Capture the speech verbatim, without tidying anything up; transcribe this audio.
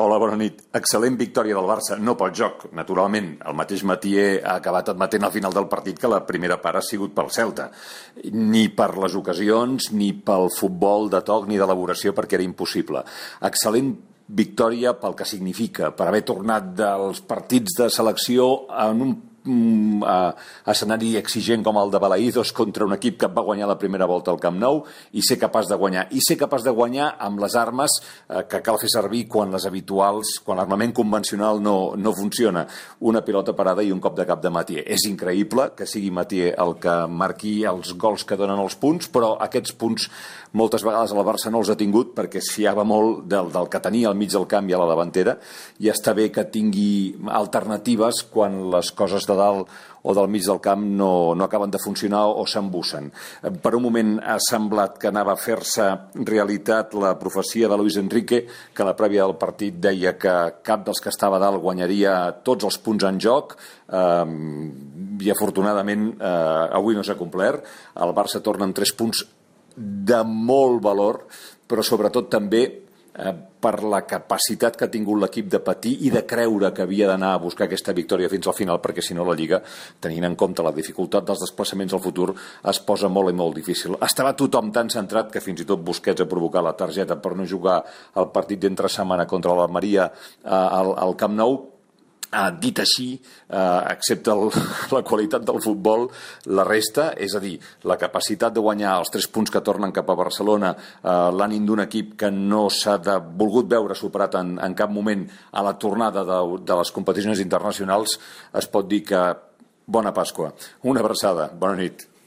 Hola, bona nit. Excel·lent victòria del Barça, no pel joc, naturalment. El mateix Mathieu ha acabat admetent al final del partit que la primera part ha sigut pel Celta. Ni per les ocasions, ni pel futbol de toc, ni d'elaboració, perquè era impossible. Excel·lent victòria pel que significa, per haver tornat dels partits de selecció en un Mm, uh, escenari exigent com el de Balaïdos contra un equip que va guanyar la primera volta al Camp Nou i ser capaç de guanyar, i ser capaç de guanyar amb les armes uh, que cal fer servir quan les habituals, quan l'armament convencional no, no funciona. Una pilota parada i un cop de cap de Mathieu. És increïble que sigui Mathieu el que marqui els gols que donen els punts, però aquests punts moltes vegades el Barça no els ha tingut perquè es fiava molt del, del que tenia al mig del camp i a la davantera, i està bé que tingui alternatives quan les coses de dalt o del mig del camp no, no acaben de funcionar o s'embussen. Per un moment ha semblat que anava a fer-se realitat la profecia de Luis Enrique, que a la prèvia del partit deia que cap dels que estava a dalt guanyaria tots els punts en joc, eh, i afortunadament eh, avui no s'ha complert. El Barça torna amb tres punts de molt valor, però sobretot també eh, per la capacitat que ha tingut l'equip de patir i de creure que havia d'anar a buscar aquesta victòria fins al final, perquè si no la Lliga, tenint en compte la dificultat dels desplaçaments al futur, es posa molt i molt difícil. Estava tothom tan centrat que fins i tot Busquets ha provocat la targeta per no jugar el partit d'entre setmana contra l'Almeria eh, al, al Camp Nou. Uh, dit així, uh, excepte el, la qualitat del futbol, la resta, és a dir, la capacitat de guanyar els tres punts que tornen cap a Barcelona, uh, l'ànim d'un equip que no s'ha de, volgut veure superat en, en cap moment a la tornada de, de les competicions internacionals, es pot dir que bona Pasqua. Una abraçada, bona nit.